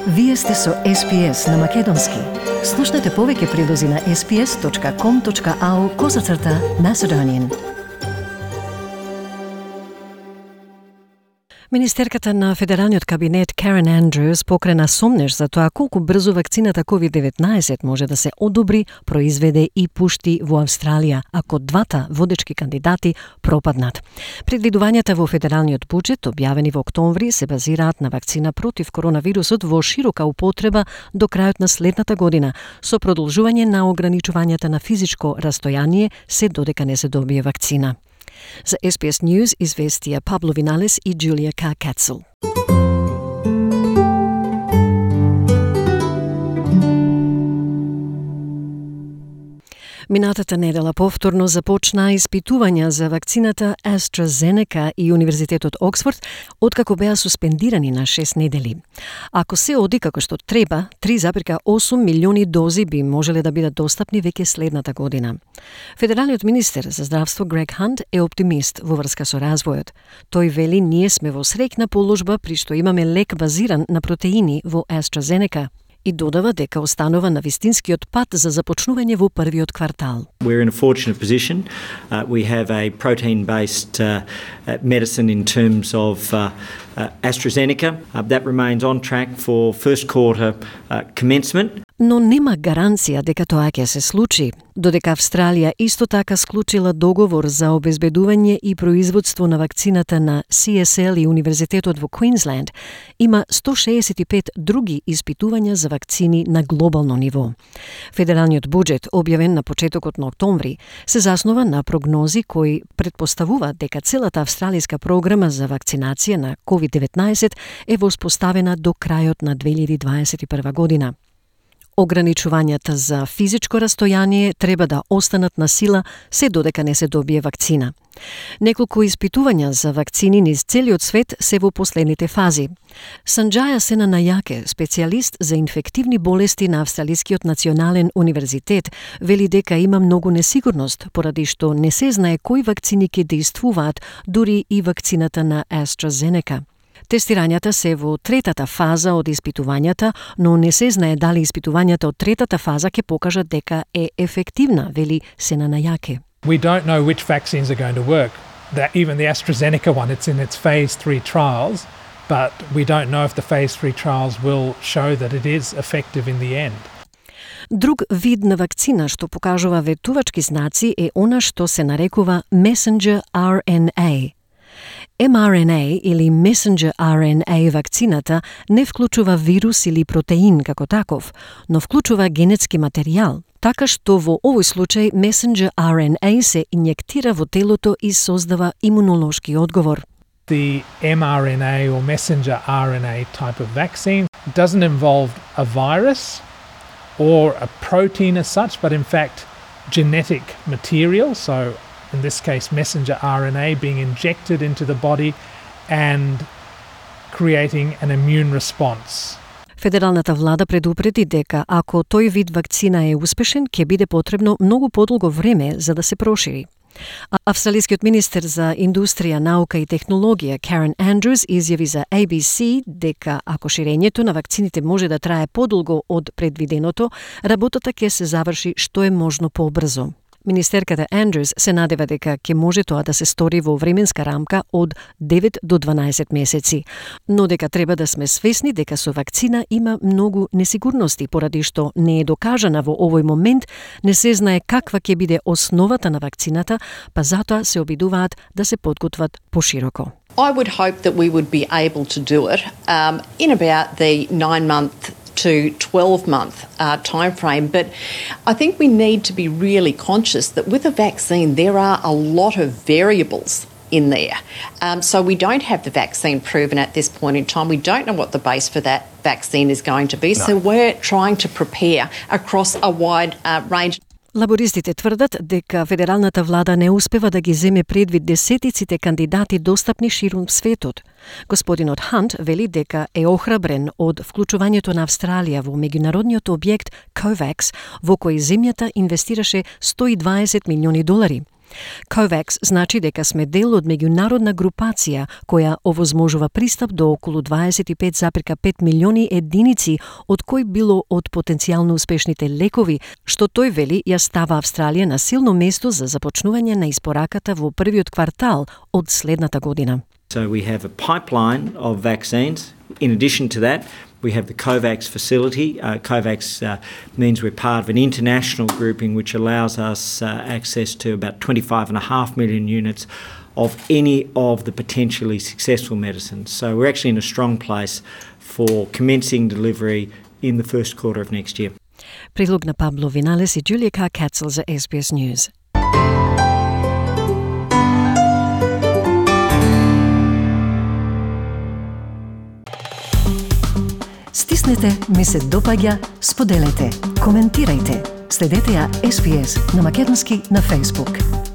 Вие сте со SPS на Македонски. Слушнете повеќе прилози на sps.com.au/Macedonian. Министерката на Федералниот кабинет Карен Андрюс покрена сомнеж за тоа колку брзо вакцината COVID-19 може да се одобри, произведе и пушти во Австралија, ако двата водечки кандидати пропаднат. Предвидувањата во федералниот буџет, објавени во октомври, се базираат на вакцина против коронавирусот во широка употреба до крајот на следната година, со продолжување на ограничувањата на физичко растојание се додека не се добие вакцина. За SBS News известија Пабло Виналес и Джулија Кацел. Минатата недела повторно започнаа испитувања за вакцината AstraZeneca и Универзитетот Оксфорд, откако беа суспендирани на 6 недели. Ако се оди како што треба, 3,8 милиони дози би можеле да бидат достапни веќе следната година. Федералниот министер за здравство Грег Хант е оптимист во врска со развојот. Тој вели: ние сме во среќна положба при што имаме лек базиран на протеини во AstraZeneca. И додава дека останува на вистинскиот пат за започнување во првиот квартал. We're in a fortunate position. We have a protein-based medicine in terms of AstraZeneca. That remains on track for first quarter commencement. Но нема гаранција дека тоа ќе се случи, додека Австралија исто така склучила договор за обезбедување и производство на вакцината на CSL и Универзитетот во Квинсленд, има 165 други испитувања за вакцини на глобално ниво. Федералниот буџет, објавен на почетокот на октомври, се заснова на прогнози кои предпоставуваат дека целата австралиска програма за вакцинација на COVID-19 е воспоставена до крајот на 2021 година. Ограничувањата за физичко растојание треба да останат на сила се додека не се добие вакцина. Неколку испитувања за вакцини низ целиот свет се во последните фази. Санџаја Сенанајаке, специјалист за инфективни болести на Австралискиот национален универзитет, вели дека има многу несигурност, поради што не се знае кои вакцини ќе действуваат, дури и вакцината на AstraZeneca. Тестирањата се во третата фаза од испитувањата, но не се знае дали испитувањата од третата фаза ќе покажат дека е ефективна, вели Сенанајаке. We don't know which vaccines are going to work. Even the AstraZeneca one, it's in its phase 3 trials, but we don't know if the phase 3 trials will show that it is effective in the end. Друг вид на вакцина што покажува ветувачки знаци е она што се нарекува Messenger RNA. mRNA или Messenger RNA вакцината не вклучува вирус или протеин како таков, но вклучува генетски материјал, така што во овој случај Messenger RNA се инјектира во телото и создава имунолошки одговор. The mRNA or messenger RNA type of vaccine doesn't involve a virus or a protein as such, but in fact genetic material, so in this case messenger RNA being injected into the body and creating an immune response. Федералната влада предупреди дека ако тој вид вакцина е успешен, ќе биде потребно многу подолго време за да се прошири. Австралискиот министер за индустрија, наука и технологија Карен Андрюс изјави за ABC дека ако ширењето на вакцините може да трае подолго од предвиденото, работата ќе се заврши што е можно побрзо. Министерката Андрюс се надева дека ќе може тоа да се стори во временска рамка од 9 до 12 месеци, но дека треба да сме свесни дека со вакцина има многу несигурности, поради што не е докажана во овој момент, не се знае каква ќе биде основата на вакцината, па затоа се обидуваат да се подготват пошироко. I would hope that we would be able to do it in about the 9-month to 12-month time frame, but I think we need to be really conscious that with a vaccine there are a lot of variables in there. So we don't have the vaccine proven at this point in time. We don't know what the base for that vaccine is going to be, so we're trying to prepare across a wide range. Лабористите тврдат дека федералната влада не успева да ги земе предвид десетиците кандидати достапни ширум светот. Господинот Хант вели дека е охрабрен од вклучувањето на Австралија во меѓународниот објект COVAX, во кој земјата инвестираше $120 милиони. COVAX значи дека сме дел од меѓународна групација која овозможува пристап до околу 25,5 милиони единици, од кои било од потенцијално успешните лекови, што тој вели ја става Австралија на силно место за започнување на испораката во првиот квартал од следната година. So we have a pipeline of vaccines. In addition to that, we have the COVAX facility. COVAX means we're part of an international grouping which allows us access to about 25.5 million units of any of the potentially successful medicines. So we're actually in a strong place for commencing delivery in the first quarter of next year. Предлог на Пабло Виналес и Джулија Кацел за SBS News. Стиснете, ми се допаѓа, споделете, коментирајте. Следете ја SBS на македонски на Facebook.